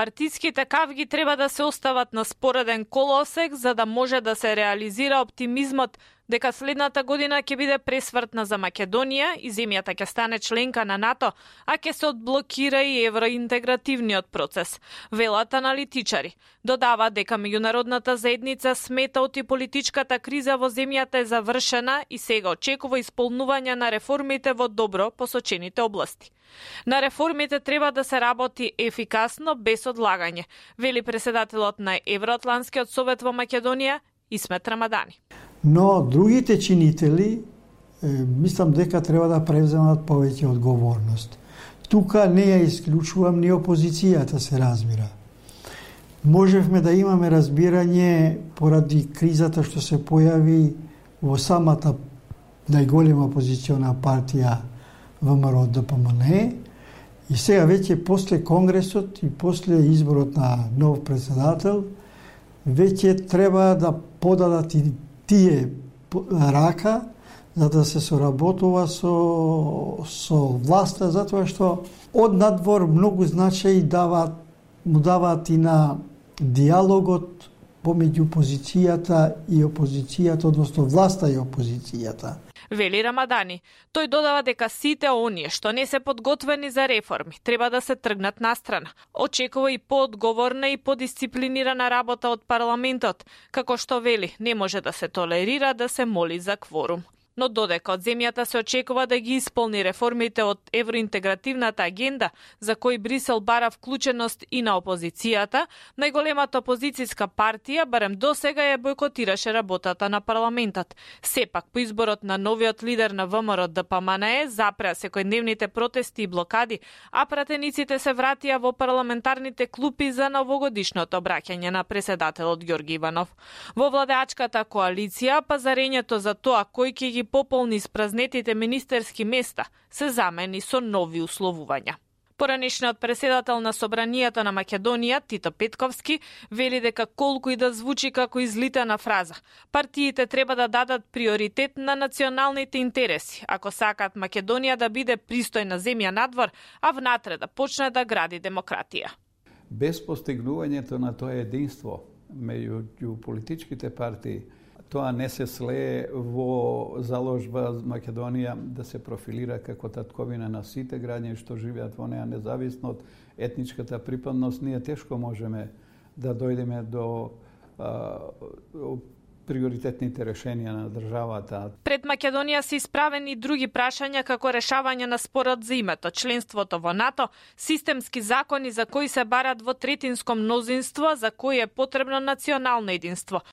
Партиските кавги треба да се остават на спореден колосек за да може да се реализира оптимизмот дека следната година ќе биде пресвртна за Македонија и земјата ќе стане членка на НАТО, а ќе се одблокира и евроинтегративниот процес, велат аналитичари. Додава дека меѓународната заедница смета оти политичката криза во земјата е завршена и сега очекува исполнување на реформите во добро посочените области. На реформите треба да се работи ефикасно без одлагање, вели председателот на Евроатланскиот совет во Македонија Исмет Рамадани. Но другите чинители, мислам дека треба да превземат повеќе одговорност. Тука не ја исклучувам ни опозицијата, се разбира. Можевме да имаме разбирање поради кризата што се појави во самата најголема опозициона партија ВМРО ДПМН и сега веќе после Конгресот и после изборот на нов председател веќе треба да подадат и тие рака за да се соработува со власта, затоа што од надвор многу значај му даваат и на диалогот помеѓу опозицијата и опозицијата, односно власта и опозицијата. Вели Рамадани. Тој додава дека сите оние што не се подготвени за реформи треба да се тргнат настрана. Очекува и поодговорна и подисциплинирана работа од парламентот, како што вели, не може да се толерира да се моли за кворум. Но додека од земјата се очекува да ги исполни реформите од евроинтегративната агенда, за кои Брисел бара вклученост и на опозицијата, најголемата опозицијска партија барем досега ја бойкотираше работата на парламентот. Сепак, по изборот на новиот лидер на ВМРО ДПМН запреа секојдневните протести и блокади, а пратениците се вратија во парламентарните клупи за новогодишното обраќање на председателот Ѓорги Иванов. Во владеачката коалиција, пазарењето за тоа кој ќе ги пополни испразнетите министерски места се замени со нови условувања. Поранешниот председател на Собранијата на Македонија, Тито Петковски, вели дека колку и да звучи како излитана фраза, партиите треба да дадат приоритет на националните интереси, ако сакаат Македонија да биде пристојна земја надвор, а внатре да почне да гради демократија. Без постигнувањето на тоа единство меѓу политичките партии, тоа не се слее во заложба Македонија да се профилира како татковина на сите граѓани што живеат во неа, независно од етничката припадност. Ние тешко можеме да дојдеме до приоритетните решенија на државата. Пред Македонија се исправени други прашања како решавање на спорот за името, членството во НАТО, системски закони за кои се барат во третинско мнозинство, за кои е потребно национално единство,